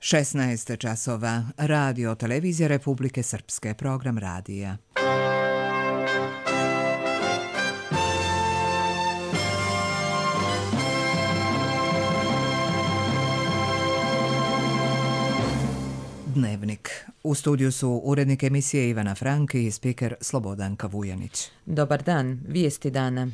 16 časova. Radio Televizija Republike Srpske. Program radija. Dnevnik. U studiju su urednik emisije Ivana Frank i spiker Slobodanka Vujanić. Dobar dan, vijesti dana.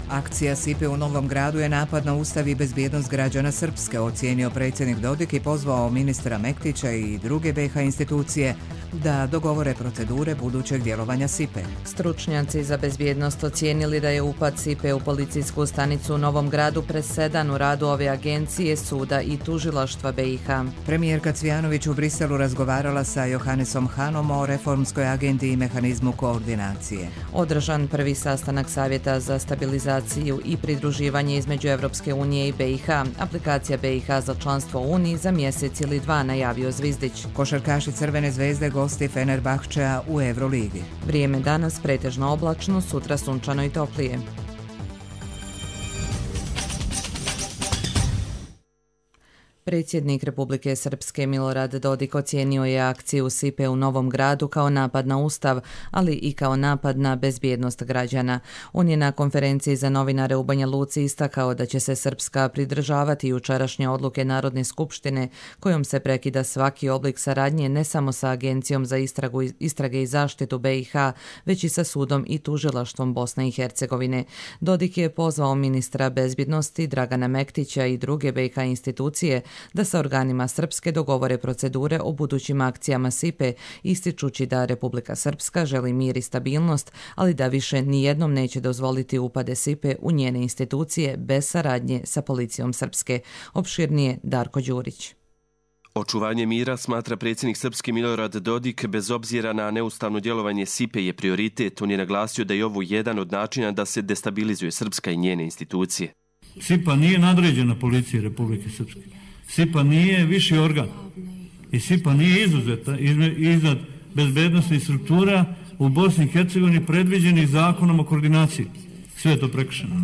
Akcija SIPE u Novom Gradu je napad na ustav i bezbjednost građana Srpske, ocijenio predsjednik Dodik i pozvao ministra Mektića i druge BiH institucije da dogovore procedure budućeg djelovanja SIPE. Stručnjaci za bezbjednost ocijenili da je upad SIPE u policijsku stanicu u Novom Gradu presedan u radu ove agencije, suda i tužilaštva BiH. Premijerka Cvjanović u Briselu razgovarala sa Johannesom Hanom o reformskoj agendi i mehanizmu koordinacije. Održan prvi sastanak Savjeta za stabilizaciju i pridruživanje između Evropske unije i BiH. Aplikacija BiH za članstvo u Uniji za mjesec ili dva, najavio Zvizdić. Košarkaši Crvene zvezde gosti Fenerbahčea u Euroligi. Vrijeme danas pretežno oblačno, sutra sunčano i toplije. Predsjednik Republike Srpske Milorad Dodik ocijenio je akciju SIPE u Novom Gradu kao napad na ustav, ali i kao napad na bezbjednost građana. On je na konferenciji za novinare u Banja Luci istakao da će se Srpska pridržavati jučerašnje odluke Narodne skupštine kojom se prekida svaki oblik saradnje ne samo sa Agencijom za istrage i zaštitu BiH, već i sa sudom i tužilaštvom Bosne i Hercegovine. Dodik je pozvao ministra bezbjednosti Dragana Mektića i druge BiH institucije da sa organima Srpske dogovore procedure o budućim akcijama SIPE, ističući da Republika Srpska želi mir i stabilnost, ali da više nijednom neće dozvoliti upade SIPE u njene institucije bez saradnje sa policijom Srpske. Opširnije Darko Đurić. Očuvanje mira, smatra predsjednik Srpske Milorad Dodik, bez obzira na neustavno djelovanje SIPE je prioritet. On je naglasio da je ovo jedan od načina da se destabilizuje Srpska i njene institucije. SIPA nije nadređena policiji Republike Srpske. SIPA nije viši organ i SIPA nije izuzeta iznad bezbednostnih struktura u Bosni i Hercegovini predviđenih zakonom o koordinaciji. Sve je to prekršeno.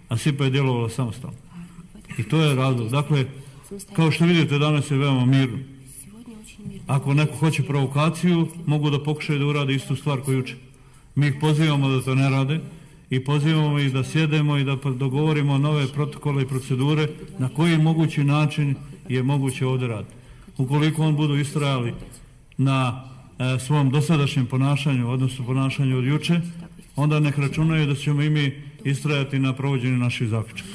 A SIPA je djelovala samostalno. I to je razlog. Dakle, kao što vidite, danas je veoma mirno. Ako neko hoće provokaciju, mogu da pokušaju da urade istu stvar koju juče. Mi ih pozivamo da to ne rade i pozivamo ih da sjedemo i da dogovorimo nove protokole i procedure na koji mogući način je moguće ovdje raditi. Ukoliko on budu istrajali na svom dosadašnjem ponašanju, odnosno ponašanju od juče, onda nek računaju da ćemo i mi istrajati na provođenju naših zaključaka.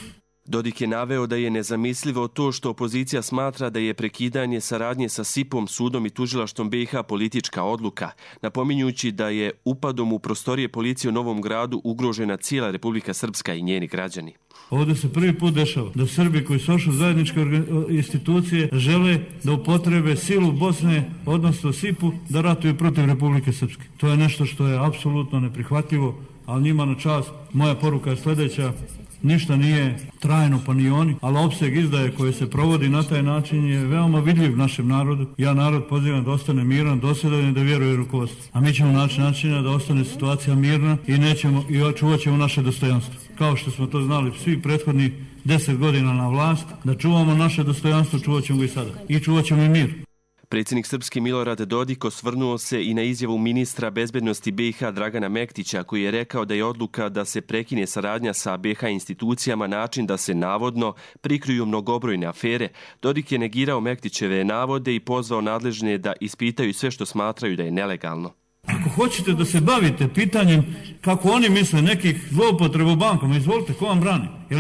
Dodik je naveo da je nezamislivo to što opozicija smatra da je prekidanje saradnje sa SIPom, sudom i tužilaštvom BiH politička odluka, napominjući da je upadom u prostorije policije u Novom Gradu ugrožena cijela Republika Srpska i njeni građani. Ovdje se prvi put dešava da Srbi koji su ošli zajedničke institucije žele da upotrebe silu Bosne, odnosno SIP-u, da ratuju protiv Republike Srpske. To je nešto što je apsolutno neprihvatljivo, ali njima na čast. Moja poruka je sljedeća. Ništa nije trajno, pa ni oni, ali opseg izdaje koje se provodi na taj način je veoma vidljiv našem narodu. Ja narod pozivam da ostane miran, dosljedan i da vjeruje rukovodstvu. A mi ćemo naći načina da ostane situacija mirna i očuvat ćemo naše dostojanstvo. Kao što smo to znali svi prethodnih 10 godina na vlast, da čuvamo naše dostojanstvo, čuvat ćemo ga i sada. I čuvat ćemo i mir. Predsjednik Srpske Milorad Dodik osvrnuo se i na izjavu ministra bezbednosti BiH Dragana Mektića, koji je rekao da je odluka da se prekine saradnja sa BiH institucijama način da se navodno prikriju mnogobrojne afere. Dodik je negirao Mektićeve navode i pozvao nadležne da ispitaju sve što smatraju da je nelegalno. Ako hoćete da se bavite pitanjem kako oni misle nekih zloupotreba u bankama, izvolite, ko vam brani? Je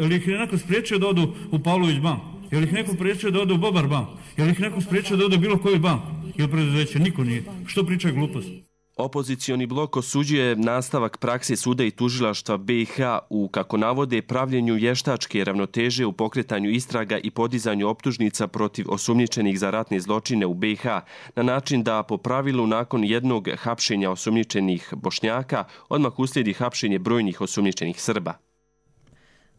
li ih je neko spriječio da odu u Pavlović banku? Je li ih neko spriječio da ode u Bobar bank? Je li ih neko spriječio da ode u bilo koji bank? Ili preduzeće? Niko nije. Što pričaju gluposti? Opozicioni blok osuđuje nastavak prakse suda i tužilaštva BiH u, kako navode, pravljenju vještačke ravnoteže u pokretanju istraga i podizanju optužnica protiv osumnjičenih za ratne zločine u BiH, na način da po pravilu nakon jednog hapšenja osumnjičenih Bošnjaka odmah uslijedi hapšenje brojnih osumnjičenih Srba.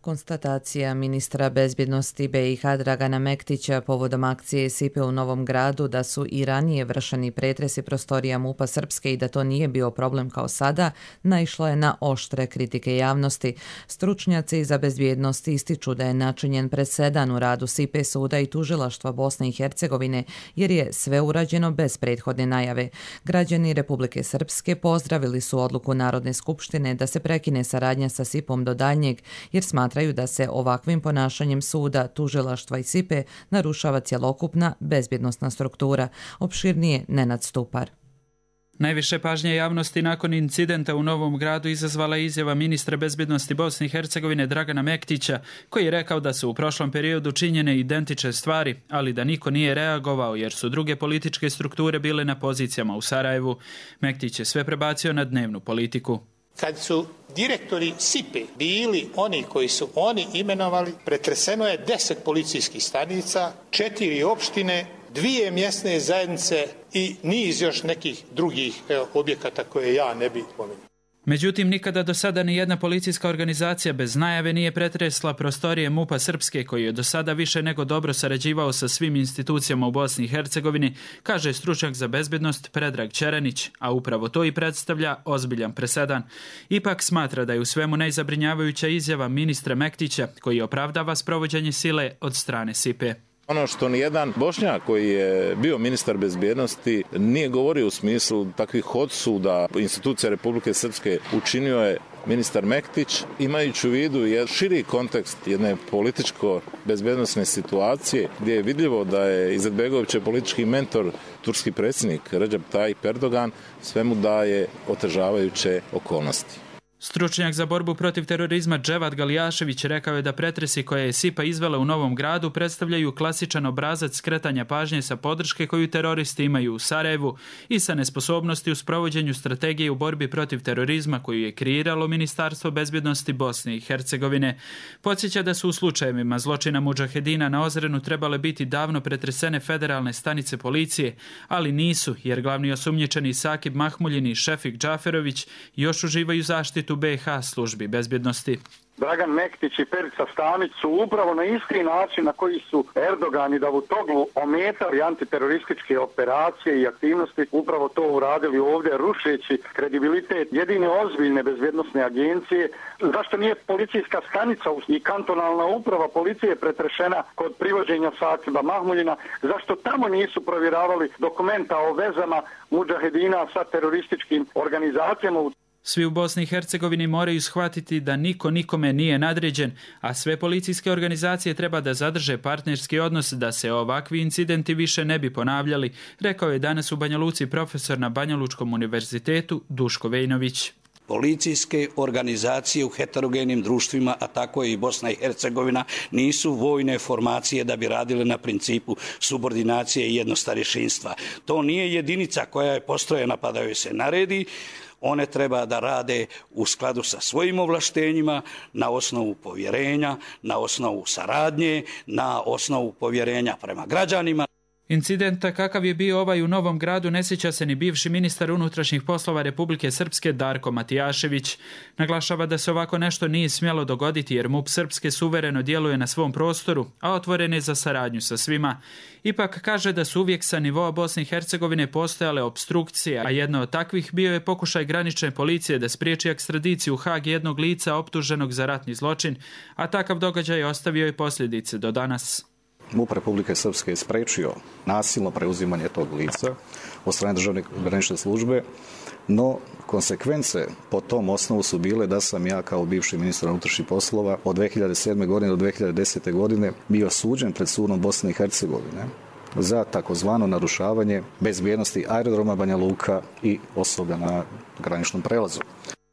Konstatacija ministra bezbjednosti BiH Dragana Mektića povodom akcije SIPE u Novom Gradu da su i ranije vršeni pretresi prostorija MUP-a Srpske i da to nije bio problem kao sada, naišlo je na oštre kritike javnosti. Stručnjaci za bezbjednost ističu da je načinjen presedan u radu SIPE suda i tužilaštva Bosne i Hercegovine jer je sve urađeno bez prethodne najave. Građani Republike Srpske pozdravili su odluku Narodne skupštine da se prekine saradnja sa SIP-om do daljnjeg jer smatraju da se ovakvim ponašanjem suda, tužilaštva i SIPE narušava cjelokupna bezbjednosna struktura. Opširnije Nenad Stupar. Najviše pažnje javnosti nakon incidenta u Novom Gradu izazvala izjava ministra bezbjednosti Bosne i Hercegovine Dragana Mektića, koji je rekao da su u prošlom periodu činjene identične stvari, ali da niko nije reagovao jer su druge političke strukture bile na pozicijama u Sarajevu. Mektić je sve prebacio na dnevnu politiku. Kad su direktori SIPE bili oni koji su oni imenovali, pretreseno je 10 policijskih stanica, 4 opštine, 2 mjesne zajednice i niz još nekih drugih objekata koje ja ne bih pomenuo. Međutim, nikada do sada ni jedna policijska organizacija bez najave nije pretresla prostorije MUP-a Srpske, koji je do sada više nego dobro sarađivao sa svim institucijama u Bosni i Hercegovini, kaže stručnjak za bezbjednost Predrag Čerenić, a upravo to i predstavlja ozbiljan presedan. Ipak smatra da je u svemu najzabrinjavajuća izjava ministra Mektića, koji opravdava sprovođenje sile od strane SIPE. Ono što nijedan Bošnjak koji je bio ministar bezbjednosti nije govorio u smislu takvih odsuda institucija Republike Srpske, učinio je ministar Mektić, imajući u vidu jedan širi kontekst jedne političko-bezbjednosne situacije gdje je vidljivo da je Izetbegovićev politički mentor, turski predsjednik Recep Tayyip Erdogan, svemu daje otežavajuće okolnosti. Stručnjak za borbu protiv terorizma Dževad Galijašević rekao je da pretresi koje je SIPA izvela u Novom Gradu predstavljaju klasičan obrazac skretanja pažnje sa podrške koju teroristi imaju u Sarajevu i sa nesposobnosti u sprovođenju strategije u borbi protiv terorizma koju je kreiralo Ministarstvo bezbjednosti Bosne i Hercegovine. Podsjeća da su u slučajevima zločina mudžahedina na Ozrenu trebale biti davno pretresene federalne stanice policije, ali nisu jer glavni osumnjičeni Sakib Mahmuljin i Šefik Džaferović još uživaju zaštitu BiH službi bezbjednosti. Dragan Mektić i Perica Stanić su upravo na isti način na koji su Erdogan i Davutoglu ometali antiterorističke operacije i aktivnosti, upravo to uradili ovdje, rušeći kredibilitet jedine ozbiljne bezbjednosne agencije. Zašto nije policijska stanica i kantonalna uprava policije pretrešena kod privođenja Sakiba Mahmuljina? Zašto tamo nisu provjeravali dokumenta o vezama mudžahedina sa terorističkim organizacijama? Svi u Bosni i Hercegovini moraju shvatiti da niko nikome nije nadređen, a sve policijske organizacije treba da zadrže partnerski odnos da se ovakvi incidenti više ne bi ponavljali, rekao je danas u Banja Luci profesor na Banjalučkom univerzitetu Duško Vejnović. Policijske organizacije u heterogenim društvima, a tako i Bosna i Hercegovina, nisu vojne formacije da bi radile na principu subordinacije i jednostarješinstva. To nije jedinica koja je postrojena pa da joj se naredi. One treba da rade u skladu sa svojim ovlaštenjima, na osnovu povjerenja, na osnovu saradnje, na osnovu povjerenja prema građanima. Incidenta kakav je bio ovaj u Novom Gradu ne sjeća se ni bivši ministar unutrašnjih poslova Republike Srpske Darko Matijašević. Naglašava da se ovako nešto nije smjelo dogoditi jer MUP Srpske suvereno djeluje na svom prostoru, a otvoren je za saradnju sa svima. Ipak kaže da su uvijek sa nivoa Bosne i Hercegovine postojale opstrukcije, a jedna od takvih bio je pokušaj granične policije da spriječi ekstradiciju u Hag jednog lica optuženog za ratni zločin, a takav događaj ostavio je posljedice do danas. MUP Republike Srpske je spriječio nasilno preuzimanje tog lica od strane državne granične službe, no konsekvence po tom osnovu su bile da sam ja kao bivši ministar unutrašnjih poslova od 2007. godine do 2010. godine bio suđen pred sudom Bosne i Hercegovine za takozvano narušavanje bezbjednosti aerodroma Banja Luka i osoblja na graničnom prelazu.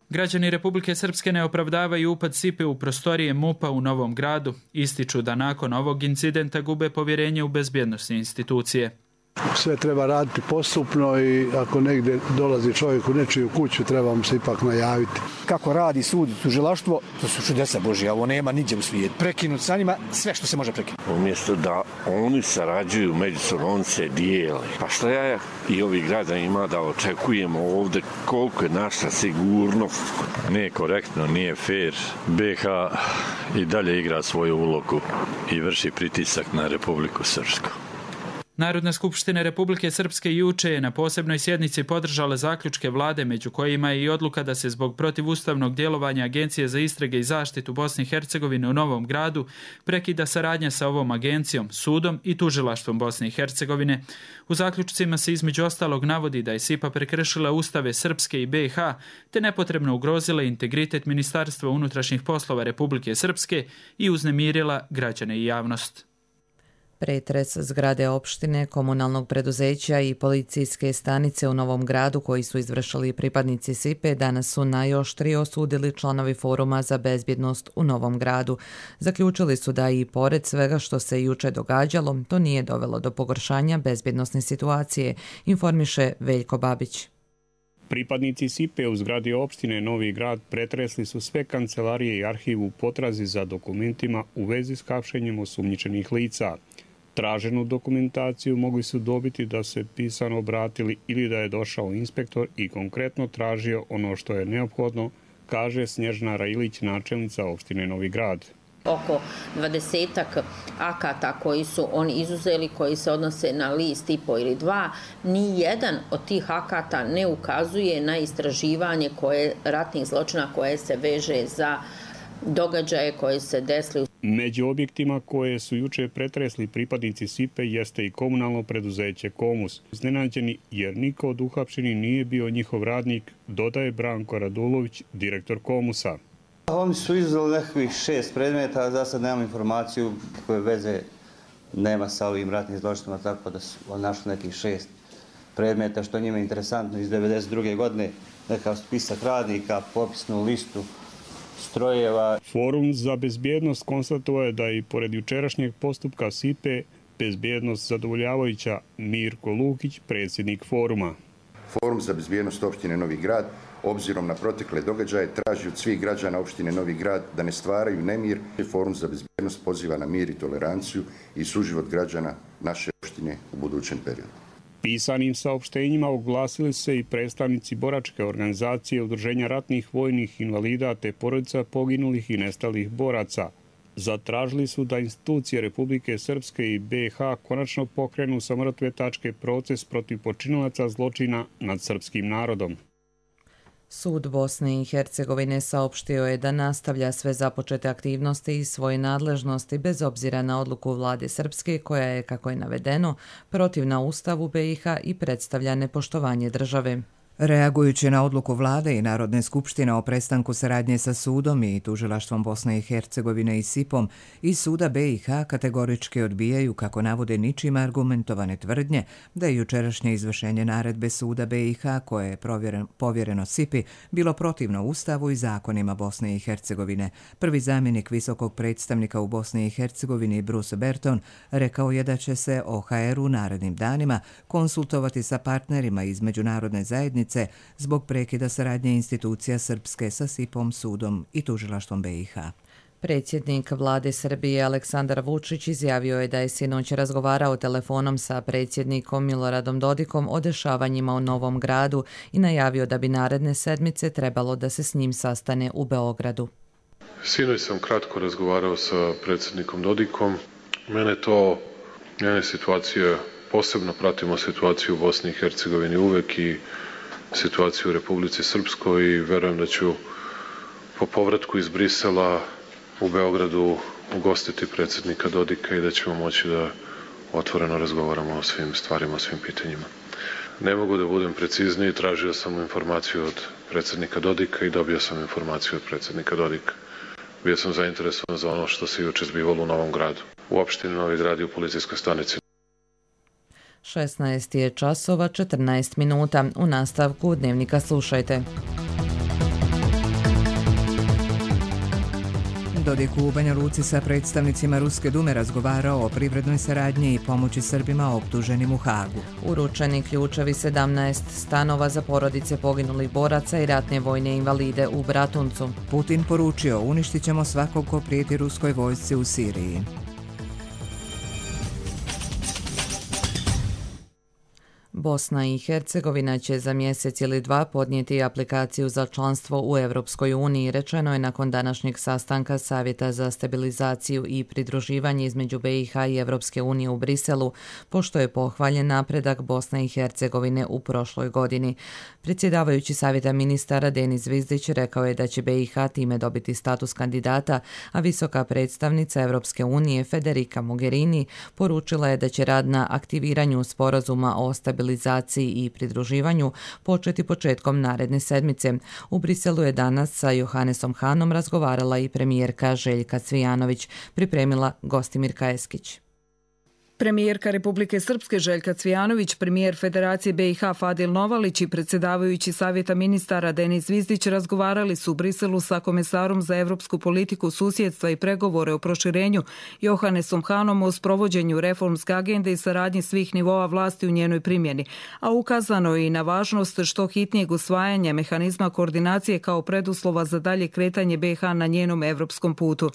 Građani Republike Srpske ne opravdavaju upad SIPE u prostorije MUP-a u Novom Gradu. Ističu da nakon ovog incidenta gube povjerenje u bezbjednosne institucije. Sve treba raditi postupno i ako negdje dolazi čovjek u nečiju kuću, treba mu se ipak najaviti. Kako radi sud, tužilaštvo, to su čudesa Božja, ovo nema niđe u svijetu. Prekinut sa njima sve što se može prekinuti. Umjesto da oni sarađuju međusobno, oni se dijele. Pa što ja i ovi građani ima da očekujemo ovdje koliko je naša sigurnost? Nije korektno, nije fair. BiH i dalje igra svoju ulogu i vrši pritisak na Republiku Srpsku. Narodna skupština Republike Srpske juče je na posebnoj sjednici podržala zaključke vlade, među kojima je i odluka da se zbog protivustavnog djelovanja Agencije za istrage i zaštitu Bosne i Hercegovine u Novom Gradu prekida saradnja sa ovom agencijom, sudom i tužilaštvom Bosne i Hercegovine. U zaključcima se između ostalog navodi da je SIPA prekršila ustave Srpske i BiH te nepotrebno ugrozila integritet Ministarstva unutrašnjih poslova Republike Srpske i uznemirila građane i javnost. Pretres zgrade opštine, komunalnog preduzeća i policijske stanice u Novom Gradu koji su izvršili pripadnici SIPE danas su najoštrije osudili članovi Foruma za bezbjednost u Novom Gradu. Zaključili su da i pored svega što se juče događalo, to nije dovelo do pogoršanja bezbjednosne situacije, informiše Veljko Babić. Pripadnici SIPE u zgradi opštine Novi Grad pretresli su sve kancelarije i arhiv u potrazi za dokumentima u vezi s hapšenjem osumnjičenih lica. Traženu dokumentaciju mogli su dobiti da se pisano obratili ili da je došao inspektor i konkretno tražio ono što je neophodno, kaže Snježana Rajilić, načelnica opštine Novi Grad. Oko 20-ak akata koji su oni izuzeli, koji se odnose na list i po ili dva, ni jedan od tih akata ne ukazuje na istraživanje ratnih zločina koje se veže za događaje koje se desili. Među objektima koje su juče pretresli pripadnici SIPE jeste i komunalno preduzeće Komus. Iznenađeni jer niko od uhapšenih nije bio njihov radnik, dodaje Branko Radulović, direktor Komusa. Oni su izuzeli nekakvih 6 predmeta, za sad nemam informaciju koje veze nema sa ovim ratnim zločinima, tako da su našli nekih 6 predmeta, što njima je interesantno iz 1992. godine, nekakav spisak radnika, popisnu listu strojeva. Forum za bezbjednost konstatovao je da i pored jučerašnjeg postupka SIPE bezbjednost zadovoljavajuća. Mirko Lukić, predsjednik foruma. Forum za bezbjednost opštine Novi Grad obzirom na protekle događaje traži od svih građana opštine Novi Grad da ne stvaraju nemir. Forum za bezbjednost poziva na mir i toleranciju i suživot građana naše opštine u budućem periodu. Pisanim saopštenjima oglasili se i predstavnici boračke organizacije Udruženja ratnih vojnih invalida te porodica poginulih i nestalih boraca. Zatražili su da institucije Republike Srpske i BiH konačno pokrenu sa mrtve tačke proces protiv počinilaca zločina nad srpskim narodom. Sud Bosne i Hercegovine saopštio je da nastavlja sve započete aktivnosti i svoje nadležnosti bez obzira na odluku vlade Srpske koja je, kako je navedeno, protivna Ustavu BiH i predstavlja nepoštovanje države. Reagujući na odluku vlade i Narodne skupštine o prestanku saradnje sa sudom i tužilaštvom Bosne i Hercegovine i SIP-om, iz suda BiH kategorički odbijaju, kako navode, ničim argumentovane tvrdnje da je jučerašnje izvršenje naredbe suda BiH koje je povjereno SIP-i bilo protivno Ustavu i zakonima Bosne i Hercegovine. Prvi zamjenik visokog predstavnika u Bosni i Hercegovini Bruce Berton rekao je da će se OHR u narednim danima konsultovati sa partnerima iz međunarodne zajednice zbog prekida saradnje institucija Srpske sa SIP-om, sudom i tužilaštvom BiH. Predsjednik vlade Srbije Aleksandar Vučić izjavio je da je sinoć razgovarao telefonom sa predsjednikom Miloradom Dodikom o dešavanjima u Novom Gradu i najavio da bi naredne sedmice trebalo da se s njim sastane u Beogradu. Sinoć sam kratko razgovarao sa predsjednikom Dodikom. Mene situacija, posebno pratimo situaciju u Bosni i Hercegovini uvek i situaciju u Republici Srpskoj i verujem da ću po povratku iz Brisela u Beogradu ugostiti predsjednika Dodika i da ćemo moći da otvoreno razgovaramo o svim stvarima, o svim pitanjima. Ne mogu da budem precizniji, tražio sam informaciju od predsjednika Dodika i dobio sam informaciju od predsjednika Dodika. Bio sam zainteresovan za ono što se juče zbivalo u Novom Gradu. U opštini Novi Grad i u policijskoj stanici. 16 je časova 14 minuta. U nastavku Dnevnika slušajte. Dodik u Banja Luci sa predstavnicima Ruske dume razgovarao o privrednoj saradnji i pomoći Srbima optuženim u Hagu. Uručeni ključevi 17 stanova za porodice poginulih boraca i ratne vojne invalide u Bratuncu. Putin poručio: uništit ćemo svakog ko prijeti ruskoj vojsci u Siriji. Bosna i Hercegovina će za mjesec ili dva podnijeti aplikaciju za članstvo u Europskoj uniji, rečeno je nakon današnjeg sastanka Savjeta za stabilizaciju i pridruživanje između BiH i Europske unije u Briselu, pošto je pohvaljen napredak Bosne i Hercegovine u prošloj godini. Predsjedavajući Savjeta ministara Denis Zvizdić rekao je da će BiH time dobiti status kandidata, a visoka predstavnica Europske unije Federica Mogherini poručila je da će rad na aktiviranju sporazuma o stabilizaciji i pridruživanju početi početkom naredne sedmice. U Briselu je danas sa Johannesom Hanom razgovarala i premijerka Željka Cvijanović, pripremila Gostimirka Eskić. Premijerka Republike Srpske Željka Cvijanović, premijer Federacije BiH Fadil Novalić i predsjedavajući Savjeta ministara Denis Zvizdić razgovarali su u Briselu sa komesarom za evropsku politiku, susjedstva i pregovore o proširenju Johannesom Hanom o sprovođenju reformske agende i saradnji svih nivoa vlasti u njenoj primjeni, a ukazano je i na važnost što hitnijeg usvajanja mehanizma koordinacije kao preduslova za dalje kretanje BiH na njenom evropskom putu.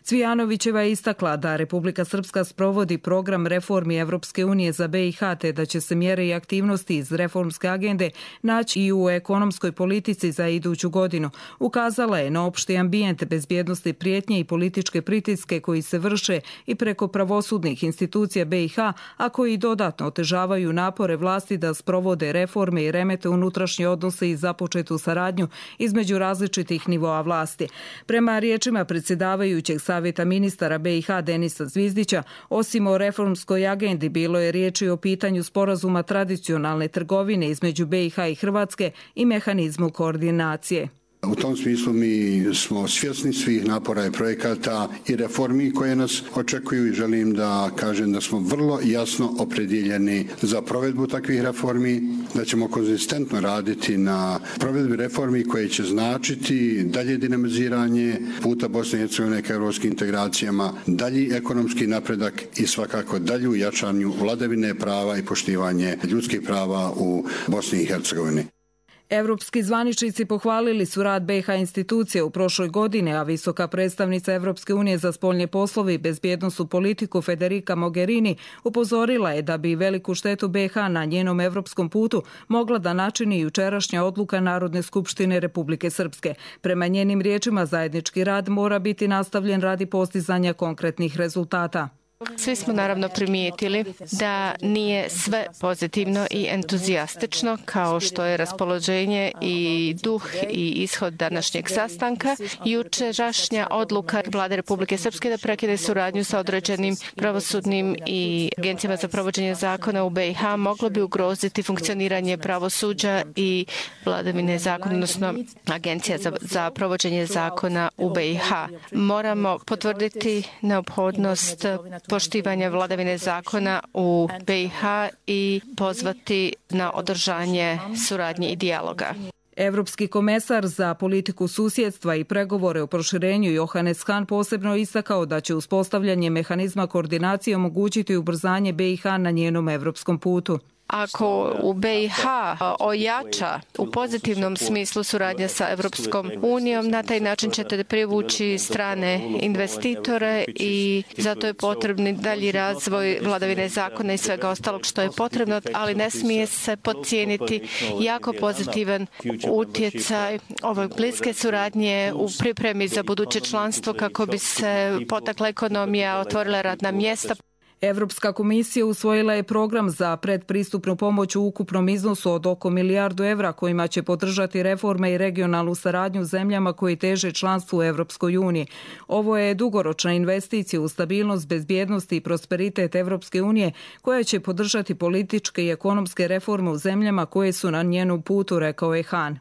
Cvijanovićeva je istakla da Republika Srpska sprovodi program reformi Evropske unije za BiH, te da će se mjere i aktivnosti iz reformske agende naći i u ekonomskoj politici za iduću godinu. Ukazala je na opšti ambijent bezbjednosti, prijetnje i političke pritiske koji se vrše i preko pravosudnih institucija BiH, a koji dodatno otežavaju napore vlasti da sprovode reforme i remete unutrašnje odnose i započetu saradnju između različitih nivoa vlasti. Prema riječima predsjedavajućeg Savjeta ministara BiH Denisa Zvizdića, osim o reformskoj agendi bilo je riječi o pitanju sporazuma tradicionalne trgovine između BiH i Hrvatske i mehanizmu koordinacije. U tom smislu mi smo svjesni svih napora i projekata i reformi koje nas očekuju i želim da kažem da smo vrlo jasno opredjeljeni za provedbu takvih reformi, da ćemo konzistentno raditi na provedbi reformi koje će značiti dalje dinamiziranje puta Bosne i Hercegovine ka europskim integracijama, dalji ekonomski napredak i svakako dalju jačanju vladavine prava i poštivanje ljudskih prava u Bosni i Hercegovini. Evropski zvaničnici pohvalili su rad BiH institucije u prošloj godini, a visoka predstavnica Evropske unije za spoljne poslove i bezbjednosnu politiku Federica Mogherini upozorila je da bi veliku štetu BiH na njenom evropskom putu mogla da načini jučerašnja odluka Narodne skupštine Republike Srpske. Prema njenim riječima, zajednički rad mora biti nastavljen radi postizanja konkretnih rezultata. Svi smo naravno primijetili da nije sve pozitivno i entuzijastično kao što je raspoloženje i duh i ishod današnjeg sastanka. Jučerašnja odluka Vlade Republike Srpske da prekine suradnju sa određenim pravosudnim i agencijama za provođenje zakona u BiH moglo bi ugroziti funkcioniranje pravosuđa i vladavine zakona, odnosno agencija za provođenje zakona u BiH. Moramo potvrditi neophodnost poštivanja vladavine zakona u BiH i pozvati na održanje suradnje i dijaloga. Evropski komesar za politiku susjedstva i pregovore o proširenju Johannes Hahn posebno istakao da će uspostavljanje mehanizma koordinacije omogućiti ubrzanje BiH na njenom evropskom putu. Ako u BiH ojača u pozitivnom smislu suradnja sa Evropskom unijom, na taj način ćete privući strane investitore i zato je potrebni dalji razvoj vladavine zakona i svega ostalog što je potrebno, ali ne smije se podcijeniti jako pozitivan utjecaj ove bliske suradnje u pripremi za buduće članstvo kako bi se potakla ekonomija, otvorila radna mjesta. Evropska komisija usvojila je program za predpristupnu pomoć u ukupnom iznosu od oko milijardu evra kojima će podržati reforme i regionalnu saradnju zemljama koji teže članstvu u Evropskoj uniji. Ovo je dugoročna investicija u stabilnost, bezbjednost i prosperitet Evropske unije koja će podržati političke i ekonomske reforme u zemljama koje su na njenom putu, rekao je Hahn.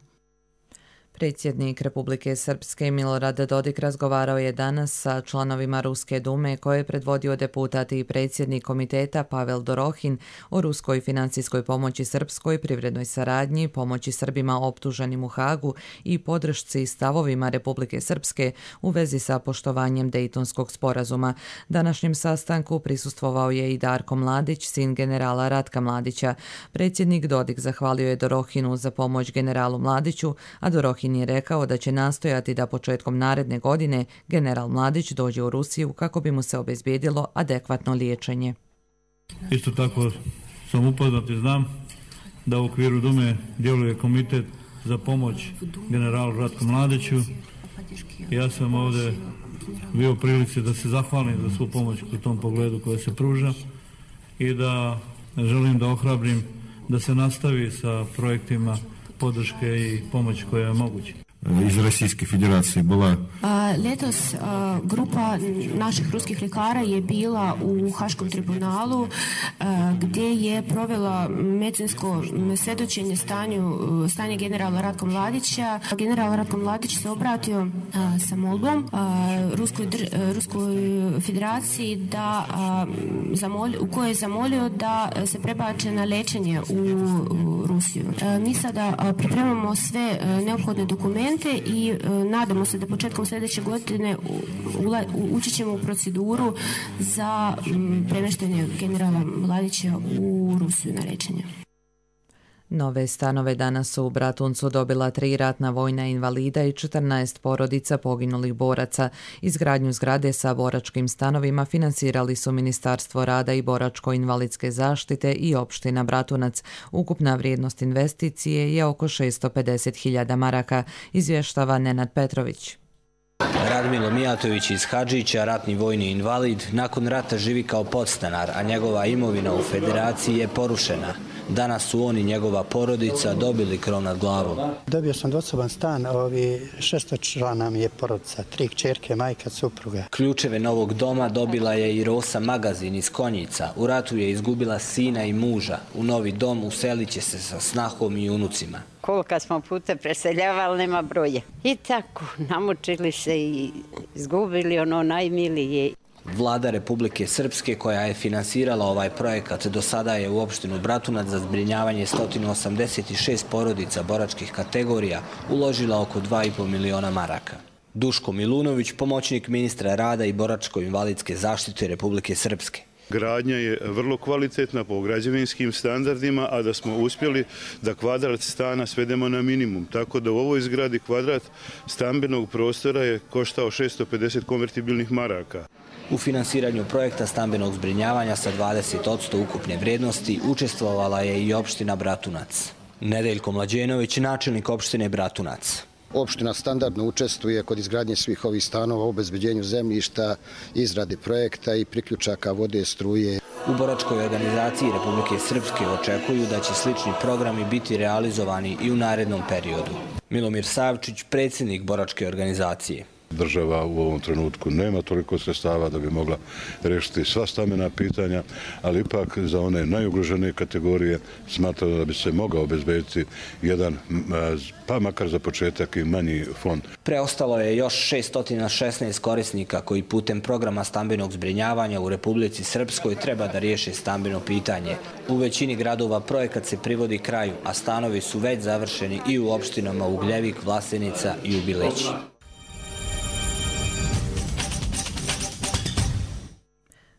Predsjednik Republike Srpske Milorad Dodik razgovarao je danas sa članovima Ruske dume koje je predvodio deputat i predsjednik komiteta Pavel Dorohin o ruskoj financijskoj pomoći srpskoj, privrednoj saradnji, pomoći Srbima optuženim u Hagu i podršci stavovima Republike Srpske u vezi sa poštovanjem Dejtonskog sporazuma. Današnjem sastanku prisustvovao je i Darko Mladić, sin generala Ratka Mladića. Predsjednik Dodik zahvalio je Dorohinu za pomoć generalu Mladiću, a Dorohin je rekao da će nastojati da početkom naredne godine general Mladić dođe u Rusiju kako bi mu se obezbijedilo adekvatno liječenje. Isto tako sam upoznat i znam da u okviru Dume djeluje komitet za pomoć generalu Ratku Mladiću. Ja sam ovdje bio u prilici da se zahvalim za svu pomoć u tom pogledu koja se pruža i da želim da ohrabrim da se nastavi sa projektima podrške i pomoći koja je moguća. Iz Российской Федерации была. Letos grupa naših ruskih ljekara je bila u Haškom tribunalu gdje je provela medicinsko svjedočenje stanje generala Ratka Mladića. General Ratko Mladić se obratio sa molbom Ruskoj federaciji u kojoj je zamolio da se prebače na liječenje u Rusiju. Mi sada pripremamo sve neophodne dokumente i nadamo se da početkom sljedeće godine ući ćemo u proceduru za premještanje generala Mladića u Rusiju na liječenje. Nove stanove danas su u Bratuncu dobila 3 ratna vojna invalida i 14 porodica poginulih boraca. Izgradnju zgrade sa boračkim stanovima financirali su Ministarstvo rada i boračko-invalidske zaštite i opština Bratunac. Ukupna vrijednost investicije je oko 650.000 maraka, izvještava Nenad Petrović. Radmilo Mijatović iz Hadžića, ratni vojni invalid, nakon rata živi kao podstanar, a njegova imovina u Federaciji je porušena. Danas su on i njegova porodica dobili krov nad glavom. Dobio sam dvosoban stan, 600 člana mi je porodica, 3 kćerke, majka, supruga. Ključeve novog doma dobila je i Rosa Magazin iz Konjica. U ratu je izgubila sina i muža. U novi dom uselit će se sa snahom i unucima. Koliko smo puta preseljavali, nema broje. I tako, namučili se i izgubili ono najmilije. Vlada Republike Srpske, koja je finansirala ovaj projekat, do sada je u opštinu Bratunac za zbrinjavanje 186 porodica boračkih kategorija uložila oko 2,5 miliona maraka. Duško Milunović, pomoćnik ministra rada i boračko-invalidske zaštite Republike Srpske. Gradnja je vrlo kvalitetna po građevinskim standardima, a da smo uspjeli da kvadrat stana svedemo na minimum. Tako da u ovoj zgradi kvadrat stambenog prostora je koštao 650 konvertibilnih maraka. U finansiranju projekta stambenog zbrinjavanja sa 20% ukupne vrijednosti učestvovala je i opština Bratunac. Nedeljko Mlađenović, načelnik opštine Bratunac. Opština standardno učestvuje kod izgradnje svih ovih stanova, obezbeđenju zemljišta, izradi projekta i priključaka vode, struje. U boračkoj organizaciji Republike Srpske očekuju da će slični programi biti realizovani i u narednom periodu. Milomir Savčić, predsjednik boračke organizacije. Država u ovom trenutku nema toliko sredstava da bi mogla rešiti sva stambena pitanja, ali ipak za one najugroženije kategorije smatramo da bi se mogao obezbediti jedan, pa makar za početak i manji fond. Preostalo je još 616 korisnika koji putem programa stambenog zbrinjavanja u Republici Srpskoj treba da riješe stambeno pitanje. U većini gradova projekat se privodi kraju, a stanovi su već završeni i u opštinama Ugljevik, Vlasenica i Ubileći.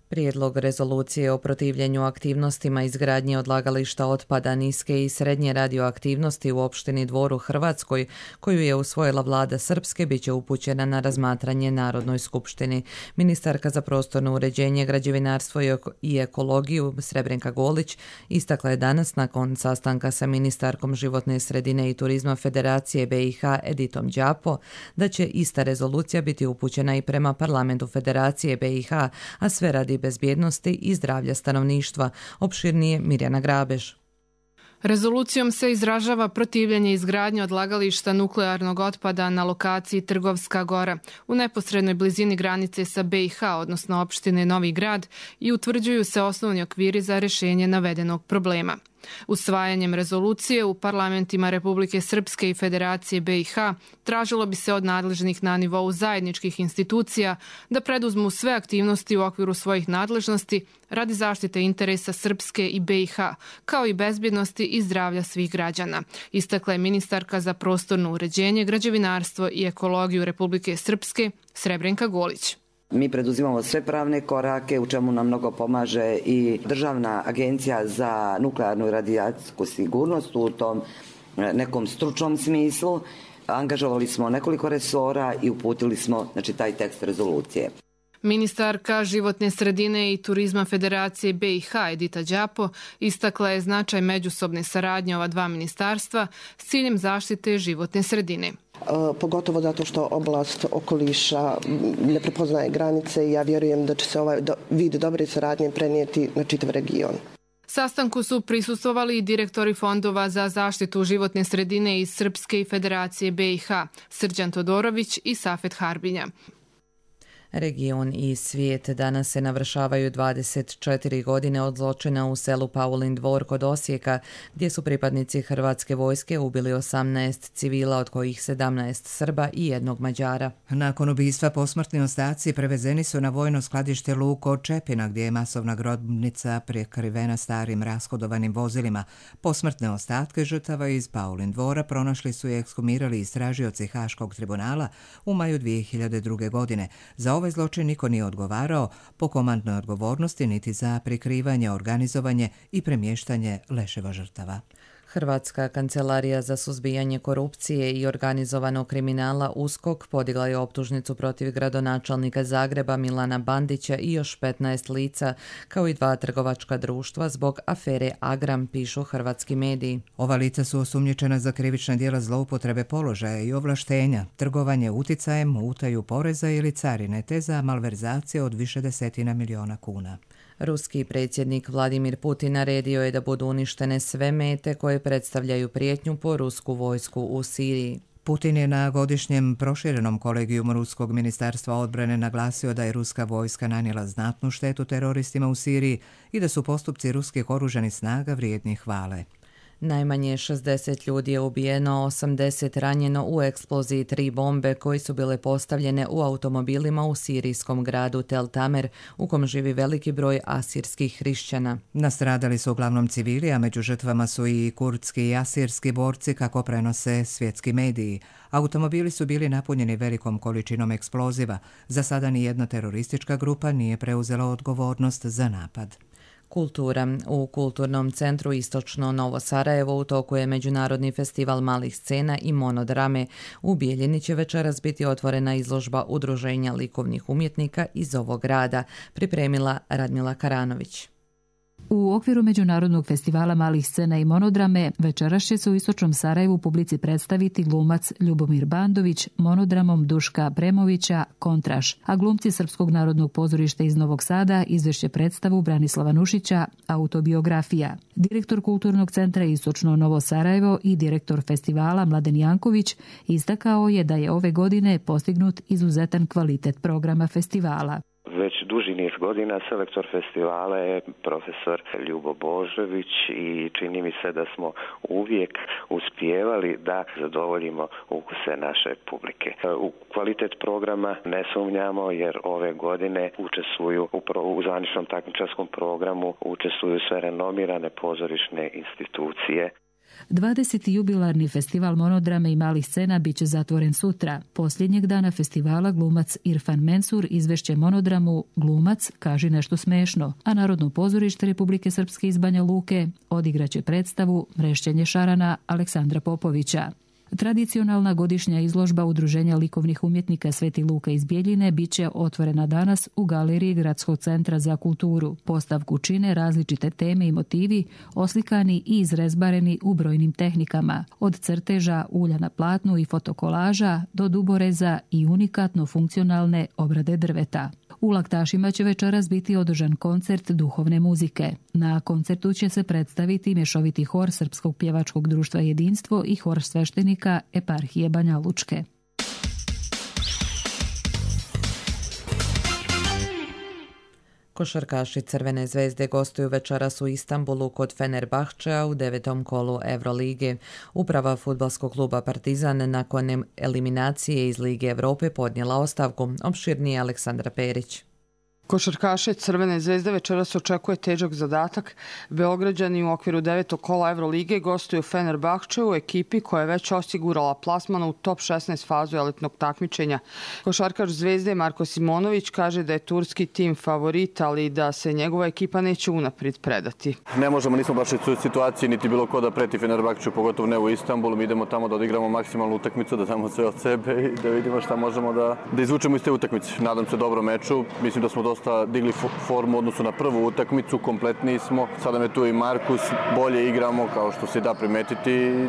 Prijedlog rezolucije o protivljenju aktivnostima izgradnje odlagališta otpada niske i srednje radioaktivnosti u opštini Dvor u Hrvatskoj, koju je usvojila vlada Srpske, bit će upućena na razmatranje Narodnoj skupštini. Ministarka za prostorno uređenje, građevinarstvo i ekologiju Srebrenka Golić istakla je danas nakon sastanka sa ministarkom životne sredine i turizma Federacije BiH Editom Đapo da će ista rezolucija biti upućena i prema parlamentu Federacije BiH, a sve radi bezbjednosti i zdravlja stanovništva. Opširnije Mirjana Grabež. Rezolucijom se izražava protivljenje izgradnje odlagališta nuklearnog otpada na lokaciji Trgovska Gora u neposrednoj blizini granice sa BiH, odnosno opštine Novi Grad, i utvrđuju se osnovni okviri za rješenje navedenog problema. Usvajanjem rezolucije u parlamentima Republike Srpske i Federacije BiH tražilo bi se od nadležnih na nivou zajedničkih institucija da preduzmu sve aktivnosti u okviru svojih nadležnosti radi zaštite interesa Srpske i BiH, kao i bezbjednosti i zdravlja svih građana, istakla je ministarka za prostorno uređenje, građevinarstvo i ekologiju Republike Srpske Srebrenka Golić. Mi preduzimamo sve pravne korake, u čemu nam mnogo pomaže i Državna agencija za nuklearnu i radijacijsku sigurnost u tom nekom stručnom smislu. Angažovali smo nekoliko resora i uputili smo taj tekst rezolucije. Ministarka životne sredine i turizma Federacije BiH Edita Đapo istakla je značaj međusobne saradnje ova dva ministarstva s ciljem zaštite životne sredine. Pogotovo zato što oblast okoliša ne prepoznaje granice i ja vjerujem da će se ovaj vid dobre saradnje prenijeti na čitav region. Sastanku su prisustvovali i direktori fondova za zaštitu životne sredine iz Srpske i Federacije BiH, Srđan Todorović i Safet Harbinja. Region i svijet danas se navršavaju 24 godine od zločina u selu Paulin Dvor kod Osijeka, gdje su pripadnici Hrvatske vojske ubili 18 civila, od kojih 17 Srba i jednog Mađara. Nakon ubistva posmrtni ostaci prevezeni su na vojno skladište Luko od Čepina, gdje je masovna grobnica prekrivena starim rashodovanim vozilima. Posmrtne ostatke žrtava iz Paulin Dvora pronašli su i ekshumirali istražioci Haškog tribunala u maju 2002. godine. Za ovaj zločin niko nije odgovarao po komandnoj odgovornosti niti za prikrivanje, organizovanje i premještanje leševa žrtava. Hrvatska kancelarija za suzbijanje korupcije i organizovanog kriminala USKOK podigla je optužnicu protiv gradonačelnika Zagreba Milana Bandića i još 15 lica, kao i 2 trgovačka društva zbog afere Agram, pišu hrvatski mediji. Ova lica su osumnjičena za krivična djela zloupotrebe položaja i ovlaštenja, trgovanje uticajem, utaju poreza ili carine, te za malverzacije od više desetina miliona kuna. Ruski predsjednik Vladimir Putin naredio je da budu uništene sve mete koje predstavljaju prijetnju po rusku vojsku u Siriji. Putin je na godišnjem proširenom kolegijumu Ruskog ministarstva odbrane naglasio da je ruska vojska nanijela znatnu štetu teroristima u Siriji i da su postupci ruskih oružanih snaga vrijedni hvale. Najmanje 60 ljudi je ubijeno, 80 ranjeno u eksploziji 3 bombe koje su bile postavljene u automobilima u sirijskom gradu Tel Tamer, u kom živi veliki broj asirskih hrišćana. Nastradali su uglavnom civili, a među žrtvama su i kurdski i asirski borci, kako prenose svjetski mediji. Automobili su bili napunjeni velikom količinom eksploziva. Za sada ni jedna teroristička grupa nije preuzela odgovornost za napad. Kultura. U Kulturnom centru Istočno Novo Sarajevo u toku je Međunarodni festival malih scena i monodrame. U Bijeljini će večeras biti otvorena izložba Udruženja likovnih umjetnika iz ovog grada, pripremila Radmila Karanović. U okviru Međunarodnog festivala malih scena i monodrame večeras će se u Istočnom Sarajevu publici predstaviti glumac Ljubomir Bandović monodramom Duška Premovića Kontraš, a glumci Srpskog narodnog pozorišta iz Novog Sada izvešće predstavu Branislava Nušića Autobiografija. Direktor Kulturnog centra Istočno Novo Sarajevo i direktor festivala Mladen Janković istakao je da je ove godine postignut izuzetan kvalitet programa festivala. Već duži niz godina selektor festivala je profesor Ljubo Božović i čini mi se da smo uvijek uspijevali da zadovoljimo ukuse naše publike. U kvalitet programa ne sumnjamo jer ove godine učestvuju u zvaničnom takmičarskom programu učestvuju sve renomirane pozorišne institucije. 20. jubilarni festival monodrame i malih scena biće zatvoren sutra. Posljednjeg dana festivala glumac Irfan Mensur izvešće monodramu Glumac kaži nešto smešno, a Narodno pozorište Republike Srpske iz Banja Luke odigraće predstavu Mrešćenje šarana Aleksandra Popovića. Tradicionalna godišnja izložba Udruženja likovnih umjetnika Sveti Luka iz Bijeljine biće otvorena danas u galeriji Gradskog centra za kulturu. Postavku čine različite teme i motivi oslikani i izrezbareni u brojnim tehnikama, od crteža, ulja na platnu i fotokolaža do duboreza i unikatno funkcionalne obrade drveta. U Laktašima će večeras biti održan koncert duhovne muzike. Na koncertu će se predstaviti mješoviti hor Srpskog pjevačkog društva Jedinstvo i hor sveštenika Eparhije Banja Lučke. Košarkaši Crvene zvezde gostuju večeras u Istanbulu kod Fenerbahčea u 9. kolu Evrolige. Uprava fudbalskog kluba Partizan nakon eliminacije iz Lige Europe podnijela ostavku. Opširnije Aleksandra Perić. Košarkaše Crvene zvezde večeras očekuje težak zadatak. Beograđani u okviru 9. kola Evrolige gostuju Fenerbahčeu u ekipi koja je već osigurala plasman u top 16 fazu elitnog takmičenja. Košarkaš Zvezde Marko Simonović kaže da je turski tim favorit, ali da se njegova ekipa neće unaprijed predati. Ne možemo, nismo baš u situaciji niti bilo ko da preti Fenerbahčeu, pogotovo ne u Istanbulu. Mi idemo tamo da odigramo maksimalnu utakmicu, da damo sve od sebe i da vidimo šta možemo da izvučemo iz te utakmice. Nadam se dobrom meču. Mislim da smo dosta digli formu u odnosu na prvu utakmicu, kompletni smo. Sada me tu i Markus, bolje igramo kao što se da primetiti i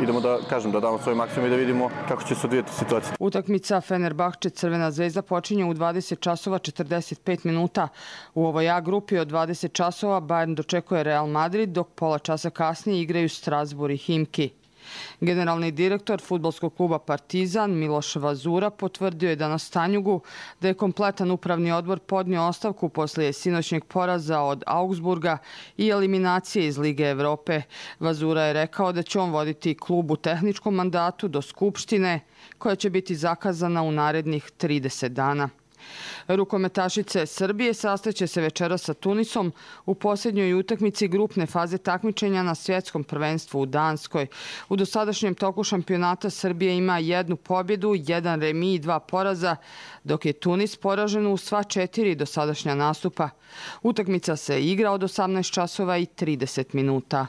idemo da damo svoj maksimum i da vidimo kako će se odvijeti situacija. Utakmica Fenerbahče Crvena zvezda počinje u 20 časova 45 minuta. U ovoj A grupi od 20 časova Bayern dočekuje Real Madrid, dok pola časa kasnije igraju Strasbourg i Himki. Generalni direktor fudbalskog kluba Partizan Miloš Vazura potvrdio je danas Tanjugu da je kompletan upravni odbor podnio ostavku poslije sinoćnjeg poraza od Augsburga i eliminacije iz Lige Europe. Vazura je rekao da će on voditi klub u tehničkom mandatu do Skupštine koja će biti zakazana u narednih 30 dana. Rukometašice Srbije sastaće se večeras sa Tunisom u posljednjoj utakmici grupne faze takmičenja na svjetskom prvenstvu u Danskoj. U dosadašnjem toku šampionata Srbija ima 1 pobjedu, 1 remi i 2 poraza, dok je Tunis poražen u sva 4 dosadašnja nastupa. Utakmica se igra od 18 časova i 30 minuta.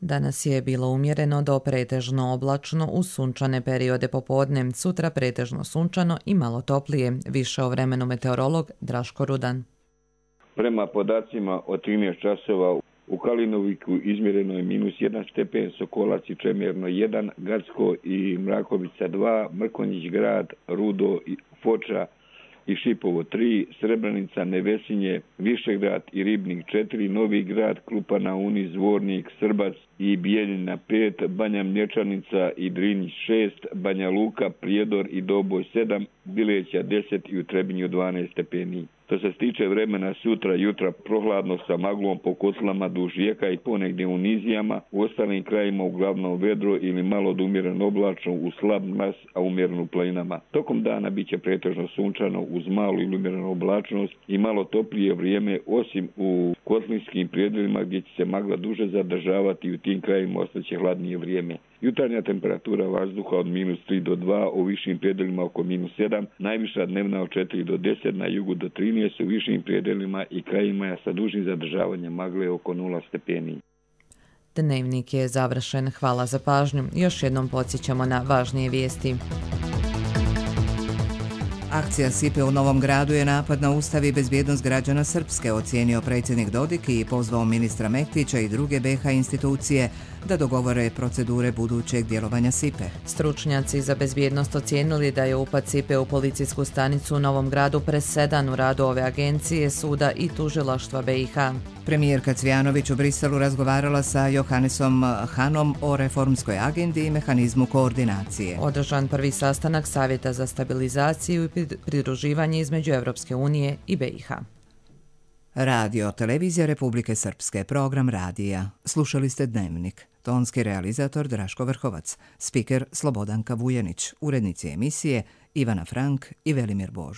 Danas je bilo umjereno do pretežno oblačno uz sunčane periode popodne. Sutra pretežno sunčano i malo toplije. Više o vremenu meteorolog Draško Rudan. Prema podacima od 13 časova u Kalinoviku izmjereno je -1 stepen, Sokolac i Čemerno 1, Gacko i Mrakovica 2, Mrkonjić grad, Rudo i Foča i Šipovo 3, Srebrenica, Nevesinje, Višegrad i Ribnik 4, Novi grad, Klupa na Uni, Zvornik, Srbac i Bijeljina 5, Banja Mlječanica i Drinjić 6, Banja Luka, Prijedor i Doboj 7, Bileća 10 i u Trebinju 12 stepeni. Što se tiče vremena sutra, jutra prohladno sa maglom po kotlama duž rijeka i ponegdje u nizijama, u ostalim krajima uglavnom vedro ili malo do umjereno oblačno u slab mraz, a umjereno u planinama. Tokom dana bit će pretežno sunčano uz malu ili umjerenu oblačnost i malo toplije vrijeme, osim u kotlinskim predjelima gdje će se magla duže zadržavati i u tim krajima ostaće hladnije vrijeme. Jutarnja temperatura vazduha od -3 do 2, u višim predjelima oko -7, najviša dnevna od 4 do 10, na jugu do 13, u višim predjelima i krajima sa dužim zadržavanjem magle oko 0 stepeni. Dnevnik je završen. Hvala za pažnju. Još jednom podsjećamo na važnije vijesti. Akcija SIPE u Novom Gradu je napad na ustav i bezbjednost građana Srpske, ocijenio predsjednik Dodik i pozvao ministra Mektića i druge BiH institucije da dogovore procedure budućeg djelovanja SIPE. Stručnjaci za bezbjednost ocijenili da je upad SIPE u policijsku stanicu u Novom Gradu presedan u radu ove agencije, suda i tužilaštva BiH. Premijerka Cvijanović u Briselu razgovarala sa Johannesom Hanom o reformskoj agendi i mehanizmu koordinacije. Održan prvi sastanak Savjeta za stabilizaciju i pridruživanje između Evropske unije i BiH. Radio Televizija Republike Srpske, program radija. Slušali ste Dnevnik. Tonski realizator Draško Vrhovac, spiker Slobodanka Vujanić, urednici emisije Ivana Frank i Velimir Bož.